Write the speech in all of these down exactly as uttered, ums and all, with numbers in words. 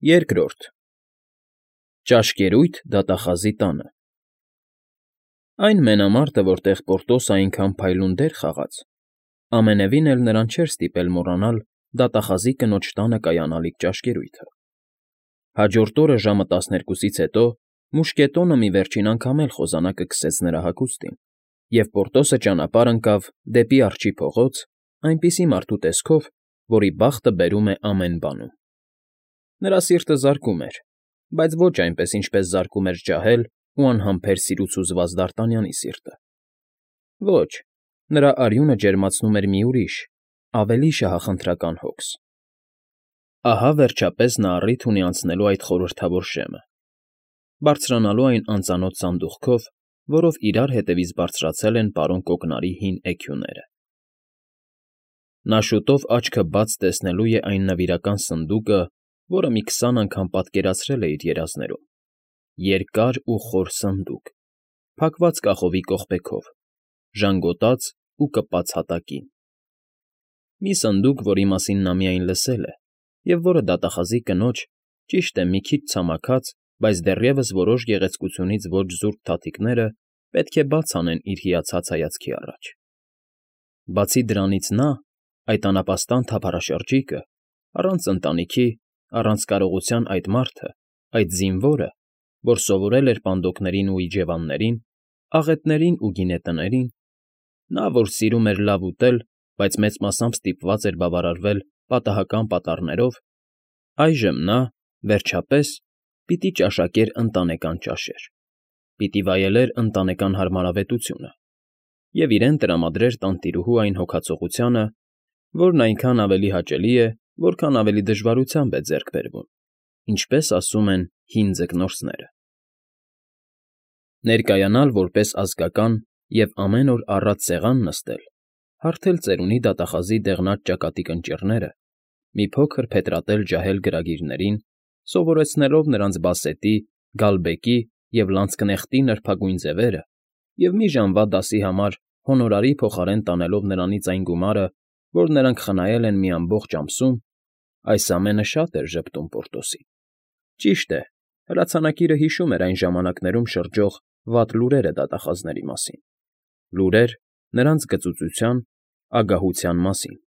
Երկրորդ Ճաշկերույթ դատախազի տանը Այն մենամարտը, որտեղ Պորտոսը այնքան փայլուն դեր խաղաց, ամենևին էլ նրան չէր ստիպել մոռանալ դատախազի կնոջ տանը կայանալիք ճաշկերույթը։ Հաջորդ օրը ժամը տասներկուսից հետո մուշկետոնը մի վերջին անգամ էլ խոզանակը քսեց նրա հագուստին, և Պորտոսը ճանապարհ ընկավ դեպի Արջի փողոց այնպիսի մարդու տեսքով, որի բախտը բերում է ամեն բանում։ Նրա սիրտը զարկում էր, բայց ոչ այնպես, ինչպես զարկում էր ջահել ու անհամբեր սիրուց հուզված Դարտանյանի սիրտը։ Ոչ, նրա արյունը ջերմացնում էր մի ուրիշ, ավելի շահախնդրական հոգս։ Ահա, վերջապես, նա առիթ ունի անցնելու այդ խորհրդավոր շեմը, բարձրանալու այն անծանոթ սանդուղքով, որով իրար հետևից բարձրացել են պարոն Կոկնարի հին էգյուները։ Նա շուտով աչքը բաց տեսնելու է այն նվիրական սնդուկը, որը մի քսան անգամ պատկերացրել է իր երազներում. երկար ու խոր սնդուկ, փակված կախովի կողպեքով, ժանգոտած ու կպած հատակին։ Մի սնդուկ, որի մասին նա միայն լսել է, և որը դատախազի կնոջ, ճիշտ է, մի քիչ ցամաքած, բայց դեռևս որոշ գեղեցկությունից ոչ զուրկ թաթիկները պետք է բաց անեն իր հիացած հայացքի առաջ։ Բացի դրանից նա, այդ անապաստան թափառաշրջիկը, առանց ընտանիքի, առանց կարողության այդ մարդը, այդ զինվորը, որ սովորել էր պանդոկներին ու իջևաններին, աղետներին ու գինետներին, նա, որ սիրում էր լավ ուտել, բայց մեծ մասամբ ստիպված էր բավարարվել պատահական պատառներով, այժմ նա, վերջապես, պիտի ճաշակեր ընտանեկան ճաշեր, պիտի վայելեր ընտանեկան հարմարավետությունը և իրեն տրամադրեր տանտիրուհու այն հոգացողությանը, որն այնքան ավելի հաճելի է, որքան ավելի դժվարությամբ է ձեռք բերվում, ինչպես ասում են հին ձկնորսները։ Ներկայանալ որպես ազգական և ամեն օր առատ սեղան նստել, հարթել ծերունի դատախազի դեղնած ճակատիկ ընճիռները, մի փոքր փետրատել ջահել գրագիրներին, սովորեցնելով նրանց բասետի, գալբեկի և լանցկնեխտի նրբագույն ձևերը և մի ժամվա դասի համար հոնորարի փոխարեն տանելով նրանից այն գումարը, որ նրանք խնայել են մի ամբողջ ամսում, այս ամենը շատ էր ժպտում Պորտոսին։ Ճիշտ է, հրացանակիրը հիշում էր այն ժամանակներում շրջող վատ լուրերը դատախազների մասին, լուրեր նրանց գծուծության, ագահության մասին,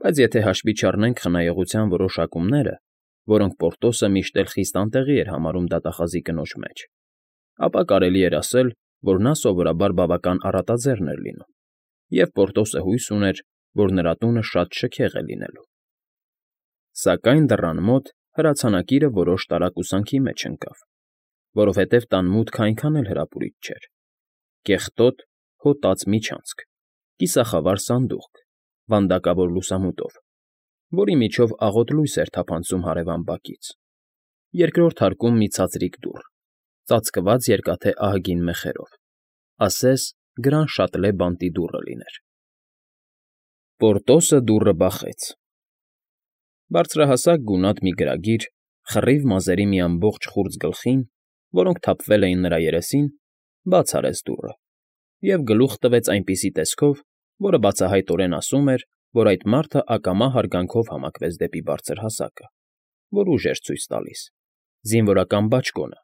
բայց եթե հաշվի չառնենք խնայողության որոշ հակումները, որոնք Պորտոսը միշտ էլ խիստ անտեղի էր համարում դատախազի կնոջ մեջ, ապա կարելի էր ասել, որ նա սովորաբար բավական առատաձեռն էր լինում, և Պորտոսը հույս ուներ, որ նրա տունը շատ շքեղ է լինելու։ Սակայն դռան մոտ հրացանակիրը որոշ տարակուսանքի մեջ ընկավ, որովհետև տան մուտքն այնքան էլ հրապուրիչ չէր. կեղտոտ, հոտած միջանցք, կիսախավար սանդուղք, վանդակավոր լուսամուտով, որի միջով աղոտ լույս էր թափանցում հարևան բակից, երկրորդ հարկում մի ցածրիկ դուռ, ծածկված երկաթե ահագին մեխերով, ասես գրանշատլե բանտի դուռը լիներ։ Պորտոսը դուռը բախեց։ Բարձրահասակ գունատ մի գրագիր, խռիվ մազերի մի ամբողջ խուրձ գլխին, որոնք թափվել էին նրա երեսին, բաց արեց դուռը և գլուխ տվեց այնպիսի տեսքով, որը բացահայտորեն ասում էր, որ այդ մարդը ակամա հարգանքով համակվեց դեպի բարձրհասակը, որ ուժ էր ցույց տալիս, զինվորական բաճկոնը,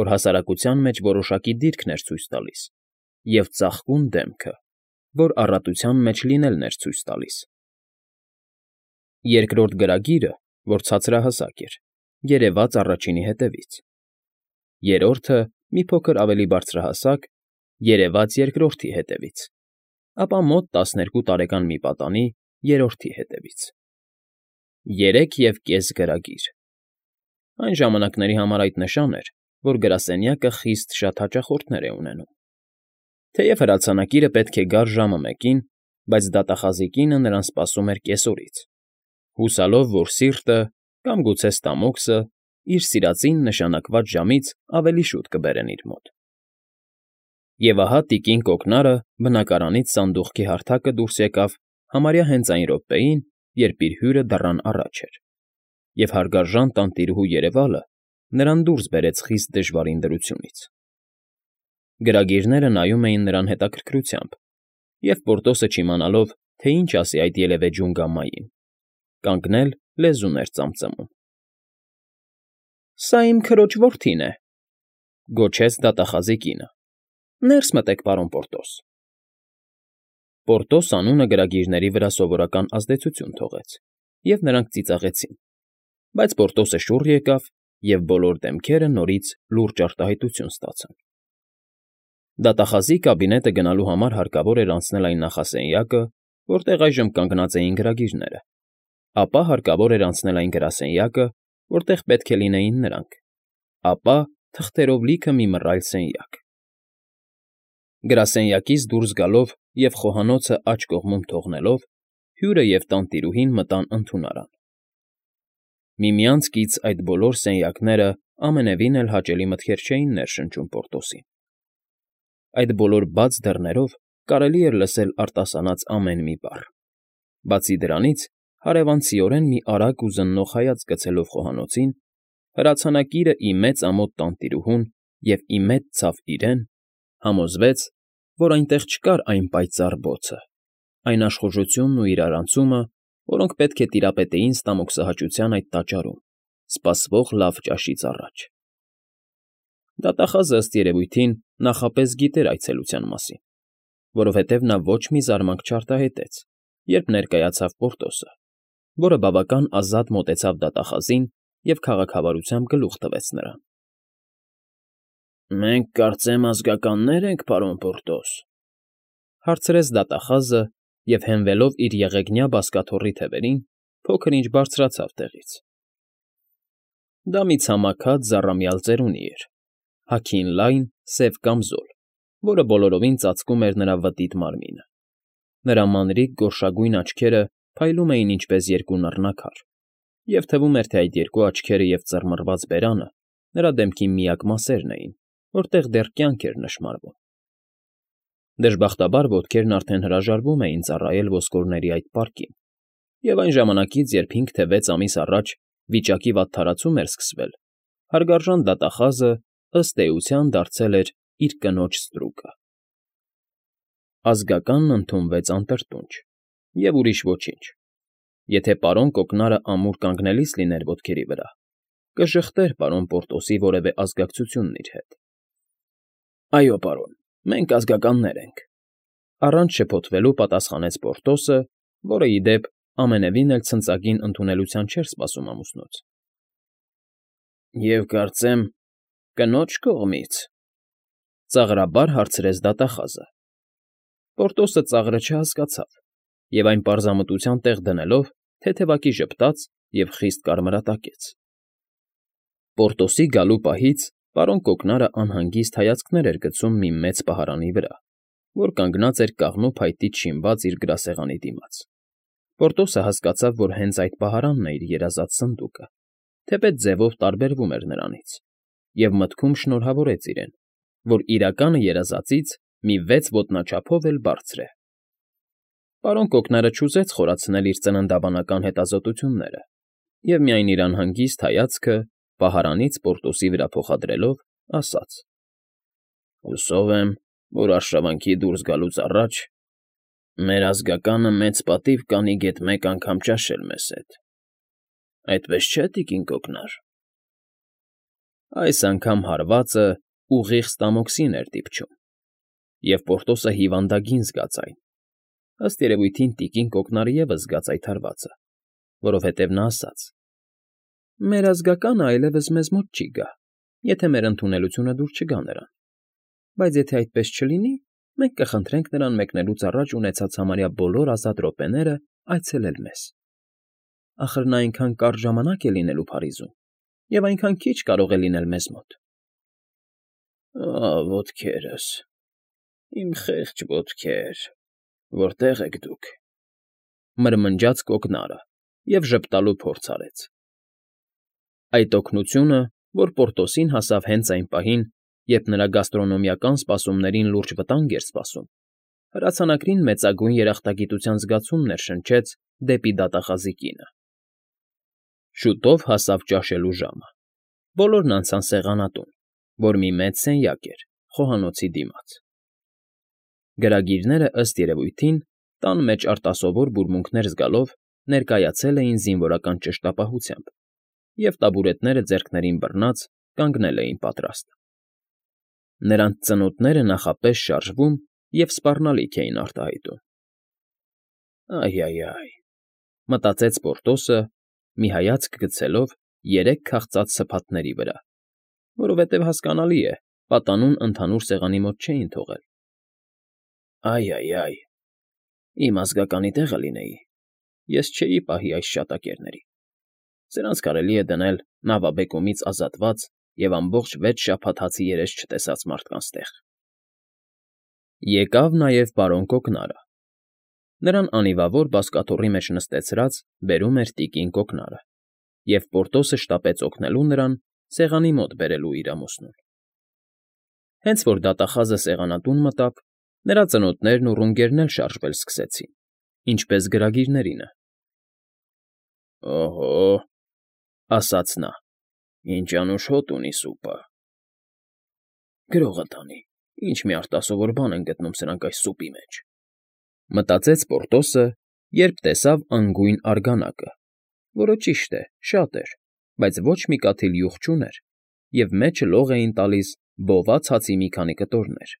որ հասարակության մեջ որոշակի դիրքն էր ցույց տալիս, և ծաղկուն դեմքը, որ առատության մեջ լինելն էր ցույց տալիս։ Երկրորդ գրագիրը, որ ցածրահասակ էր, երևաց առաջինի հետևից, երրորդը, մի փոքր ավելի բարձրահասակ, երևաց երկրորդի հետևից, ապա մոտ տասներկու տարեկան մի պատանի երրորդի հետևից։ Երեք և կես գրագիր։ Այն ժամանակների համար այդ նշան էր, որ գրասենյակը խիստ շատ հաճախորդներ է ունենում։ Թեև հրացանակիրը պետք է գար ժամը մեկին, բայց դատախազի կինը նրան սպասում էր կեսօրից, հուսալով, որ սիրտը, կամ գուցե ստամոքսը, իր սիրածին նշանակված ժամից ավելի շուտ կբերեն իր մոտ։ Եվ ահա տիկին Կոկնարը բնակարանից սանդուղքի հարթակը դուրս եկավ համարյա հենց այն րոպեին, երբ իր հյուրը դռան առաջ էր, և հարգարժան տանտիրուհու երևալը նրան դուրս բերեց խիստ դժվարին դրությունից։ Գրագիրները նայում էին նրան հետաքրքրությամբ, և Պորտոսը չիմանալով, թե ինչ ասի այդ ելևէջուն գամմային, կանգնել լեզուն էր ծամծմում։ Սա իմ քրոջ որդին է,֊ գոչեց դատախազի կինը։֊ Ներս մտեք, պարոն Պորտոս… Պորտոս անունը գրագիրների վրա սովորական ազդեցություն թողեց, և նրանք ծիծաղեցին, բայց Պորտոսը շուռ եկավ, և բոլոր դեմքերը նորից լուրջ արտահայտություն ստացան։ Դատախազի կաբինետը գնալու համար հարկավոր էր անցնել այն նախասենյակը, որտեղ այժմ կանգնած էին գրագիրները, ապա հարկավոր էր անցնել այն գրասենյակը, որտեղ պետք է լինեին նրանք, ապա թղթերով լիքը մի մռայլ սենյակ։ Գրասենյակից դուրս գալով և խոհանոցը աջ կողմում թողնելով՝ հյուրը և տանտիրուհին մտան ընդունարան։ Միմյանց կից այդ բոլոր սենյակները ամենևին էլ հաճելի մտքեր չէին ներշնչում Պորտոսին։ Այդ բոլոր բաց դռներով կարելի էր լսել արտասանած ամեն մի բառ։ Բացի դրանից, հարևանցիորեն մի արագ ու զննող հայացք գցելով խոհանոցին, հրացանակիրը ի մեծ ամոթ տանտիրուհուն և ի մեծ ցավ իրեն, համոզվեց, որ այնտեղ չկար այն պայծառ բոցը, այն աշխուժությունն ու իրարանցումը, որոնք պետք է տիրապետեին ստամոքսահաճության այդ տաճարում, սպասվող լավ ճաշից առաջ։ Դատախազը, ըստ երևույթին, նախապես գիտեր այցելության մասին, որովհետև նա ոչ մի զարմանք չարտահայտեց, երբ ներկայացավ Պորտոսը, որը բավական ազատ մոտեցավ դատախազին և քաղաքավարությամբ գլուխ տվեց նրան։ ֊ Մենք, կարծեմ, ազգականներ ենք, պարոն Պորտոս,֊ հարցրեց դատախազը և, հենվելով իր եղեգնյա բազկաթոռի թևերին, փոքր֊ինչ բարձրացավ տեղից։ Դա մի ցամաքած, զառամյալ ծերունի էր, հագին լայն, սև կամզոլ, որը բոլորովին ծածկում էր նրա վտիտ մարմինը։ Նրա մանրիկ գորշագույն աչքերը փայլում էին ինչպես երկու նռնակար, և թվում էր, թե այդ երկու աչքերը և ծռմռված բերանը նրա դեմքի միակ մասերն էին, որտեղ դեռ կյանք էր նշմարվում։ Դժբախտաբար ոտքերն արդեն հրաժարվում էին ծառայել ոսկորների այդ պարկին, և այն ժամանակից, երբ հինգ թե վեց ամիս առաջ վիճակի վատթարացում էր սկսվել, հարգարժան դատախազը, ըստ էության, դարձել էր իր կնոջ ստրուկը։ Ազգականն ընդունվեց անտրտունջ, և ուրիշ ոչինչ։ Եթե պարոն կոկնարը ամուր կանգնելիս լիներ ոտքերի վրա, կժխտեր պարոն Պորտոսի որևէ ազգակցությունն իր հետ։ ֊ Այո, պարոն, մենք ազգականներ ենք,֊ առանց շփոթվելու պատասխանեց Պորտոսը, որը, ի դեպ, ամենևին էլ ցնծագին ընդունելության չէր սպասում ամուսնուց։ ֊ Եվ, կարծեմ, կնո՞ջ կողմից,֊ ծաղրաբար հարցրեց դատախազը։ Պորտոսը ծաղրը չհասկացավ և, այն պարզամտության տեղ դնելով, թեթևակի ժպտաց և խիստ կարմրատակեց։ Պորտոսի գալու պահից պարոն Կոկնարը անհանգիստ հայացքներ էր գցում մի մեծ պահարանի վրա, որ կանգնած էր կաղնու փայտից շինված իր գրասեղանի դիմաց։ Պորտոսը հասկացավ, որ հենց այդ պահարանն է իր երազած սնդուկը, թեպետ ձևով տարբերվում էր նրանից, և մտքում շնորհավորեց իրեն, որ իրականը երազածից մի վեց ոտնաչափով էլ բարձր է։ Պարոն Կոկնարը չուզեց խորացնել իր ծննդաբանական հետազոտությունները և միայն իր անհանգիստ հայացքը պահարանից Պորտոսի վրա փոխադրելով, ասաց. ֊ Հուսով եմ, որ արշավանքի դուրս գալուց առաջ մեր ազգականը մեծ պատիվ կանի գեթ մեկ անգամ ճաշել մեզ հետ, այդպես չէ՞, տիկին Կոկնար։ Այս անգամ հարվածը ուղիղ ստամոքսին էր դիպչում, և Պորտոսը հիվանդագին զգաց այն, ըստ երևույթին տիկին Կոկնարը ևս զգաց այդ հարվածը, որովհետև նա ասաց. «Մեր ազգականը այլևս մեզ մոտ չի գա, եթե մեր ընդունելությունը դուր չգա նրան, բայց եթե այդպես չլինի, մենք կխնդրենք նրան մեկնելուց առաջ ունեցած համարյա բոլոր ազատ րոպեները այցելել մեզ։ Ախր նա այնքան կարճ ժամանակ է լինելու Փարիզում և այնքան քիչ կարող է լինել մեզ մոտ»։ ֊ Ոտքերս, իմ խեղճ ոտքեր, որտե՞ղ եք դուք,֊ մրմնջաց Կոկնարը և ժպտալու փորձ արեց։ Այդ օգնությունը, որ Պորտոսին հասավ հենց այն պահին, երբ նրա գաստրոնոմիական սպասումներին լուրջ վտանգ էր սպասում, հրացանակրին մեծագույն երախտագիտության զգացում ներշնչեց դեպի դատախազի կինը։ Շուտով հասավ ճաշելու ժամը։ Բոլորն անցան սեղանատուն, որ մի մեծ սենյակ էր, խոհանոցի դիմաց։ Գրագիրները, ըստ երևույթին, տան մեջ արտասովոր բուրմունքներ զգալով, ներկայացել էին զինվորական ճշտապահությամբ և տաբուրետները ձեռքներին բռնած կանգնել էին պատրաստ։ Նրանց ծնոտները նախապես շարժվում և սպառնալիք էին արտահայտում։ «Այ֊այ֊այ», մտածեց Պորտոսը, մի հայացք գցելով երեք քաղցած սփաթների վրա, որովհետև, հասկանալի է, պատանուն ընդհանուր սեղանի մոտ չէին թողել։ «Այ֊այ֊այ, իմ ազգականի տեղը լինեի, ես չէի պահի այս շատակերների, սրանց կարելի է դնել նավաբեկումից ազատված և ամբողջ վեց շաբաթ հացի երես չտեսած մարդկանց տեղ»։ Եկավ նաև պարոն Կոկնարը. նրան անիվավոր բազկաթոռի մեջ նստեցրած բերում էր տիկին Կոկնարը, և Պորտոսը շտապեց օգնելու նրան սեղանի մոտ բերելու իր ամուսնուն։ Հենց որ դատախազը սեղանատուն մտավ, նրա ծնոտներն ու ռունգերն էլ շարժվել սկսեցին, ինչպես գրագիրներինը։ «Օհո՜», ասաց նա, «ինչ անուշ հոտ ունի սուպը»։ «Գրողը տանի, ինչ մի արտասովոր բան են գտնում սրանք այս սուպի մեջ», մտածեց Պորտոսը, երբ տեսավ անգույն արգանակը, որը, ճիշտ է, շատ էր, բայց ոչ մի կաթիլ յուղ չուներ, և մեջը լող էին տալիս բոված հացի մի քանի կտորներ,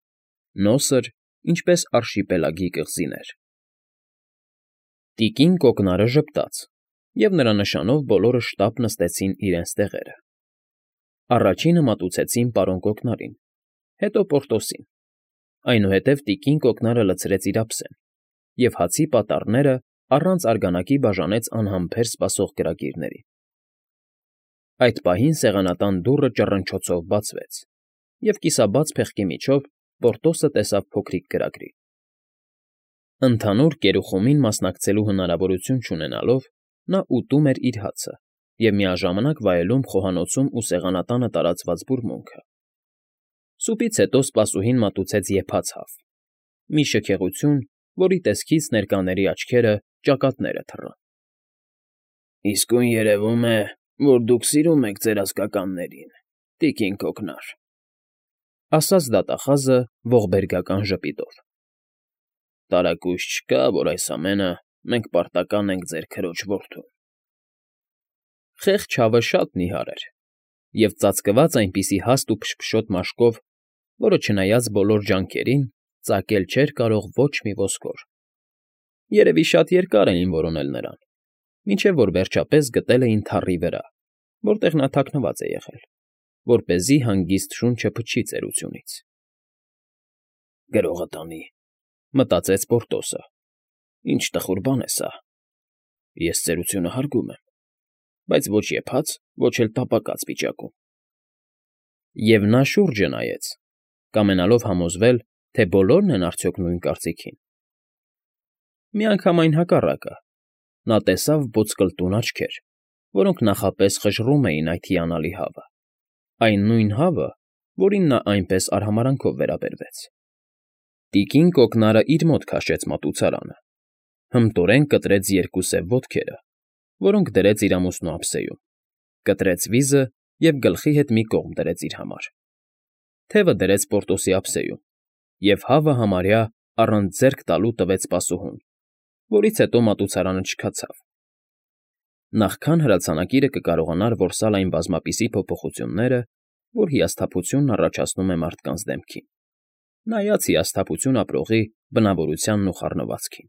նոսր, ինչպես արշիպելագի կղզիներ։ Տիկին Կոկնարը ժպտաց, և նրա նշանով բոլորը շտապ նստեցին իրենց տեղերը։ Առաջինը մատուցեցին պարոն Կոկնարին, հետո Պորտոսին, այնուհետև տիկին Կոկնարը լցրեց իր ափսեն, և հացի պատառները առանց արգանակի բաժանեց անհամբեր սպասող գրագիրներին։ Այդ պահին սեղանատան դուռը ճռնչոցով բացվեց, և կիսաբաց փեղկի միջով Պորտոսը տեսավ փոքրիկ գրագրի։ Ընդհանուր կերուխումին մասնակցելու հնարավորություն չունենալով՝ նա ուտում էր իր հացը և միաժամանակ վայելում խոհանոցում ու սեղանատանը տարածված բուրմունքը։ Սուպից հետո սպասուհին մատուցեց եփած հավ, մի շքեղություն, որի տեսքից ներկաների աչքերը ճակատները թռան։ «Իսկույն երևում է, որ դուք սիրում եք ձեր ազգականներին, տիկին Կոկնար», ասաց դատախազը ողբերգական ժպիտով։ «Տարակույս չկա, որ այս ամենը մենք պարտական ենք ձեր քրոջ որդուն»։ Խեղճ հավը շատ նիհար էր և ծածկված այնպիսի հաստ ու փշփշոտ մաշկով, որը, չնայած բոլոր ջանքերին, ծակել չէր կարող ոչ մի ոսկոր։ Երևի շատ երկար էին որոնել նրան, մինչև որ վերջապես գտել էին թառի վրա, որտեղ նա թաքնված է եղել, որպեսզի հանգիստ շունչը փչի ծերությունից։ «Գրողը տանի», մտածեց Պորտոսը, «ինչ տխուր բան է սա։ Ես ծերությունը հարգում եմ, բայց ոչ եփած, ոչ էլ տապակած վիճակում»։ Եվ նա շուրջը նայեց, կամենալով համոզվել, թե բոլորն են արդյոք նույն կարծիքին։ Միանգամայն հակառակը, նա տեսավ ոսկլտուն աչքեր, որոնք նախապես խժռում էին այդ հիանալի հավը, այն նույն հավը, որին նա այնպես արհամարհանքով վերաբերվեց։ Տիկին Կոկնարը իր մոտ քաշեց մատուցարանը, հմտորեն կտրեց երկու սև ոտքերը, որոնք դրեց իր ամուսնու ափսեում, կտրեց վիզը և գլխի հետ մի կողմ դրեց իր համար, թևը դրեց Պորտոսի ափսեում և հավը համարյա առանց ձեռք տալու տվեց սպասուհուն, որից հետո մատուցարանը չքացավ։ Նախքան հրացանակիրը կկարողանար որսալ այն բազմապիսի փոփոխությունները, որ հիասթափությունն առաջացնում է մարդկանց դեմքին, նայած հիասթափություն ապրողի բնավորությանն ու խառնվածքին։